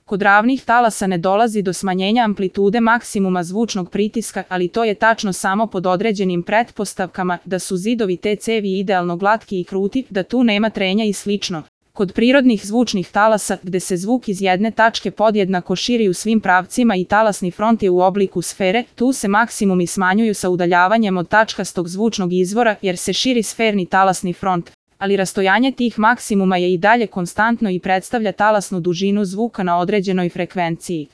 Kod ravnih talasa ne dolazi do smanjenja amplitude maksimuma zvučnog pritiska, ali to je tačno samo pod određenim pretpostavkama, da su zidovi te cevi idealno glatki i kruti, da tu nema trenja i slično. Kod prirodnih zvučnih talasa, gde se zvuk iz jedne tačke podjednako širi u svim pravcima i talasni front je u obliku sfere, tu se maksimumi smanjuju sa udaljavanjem od tačkastog zvučnog izvora, jer se širi sferni talasni front. Ali rastojanje tih maksimuma je i dalje konstantno i predstavlja talasnu dužinu zvuka na određenoj frekvenciji.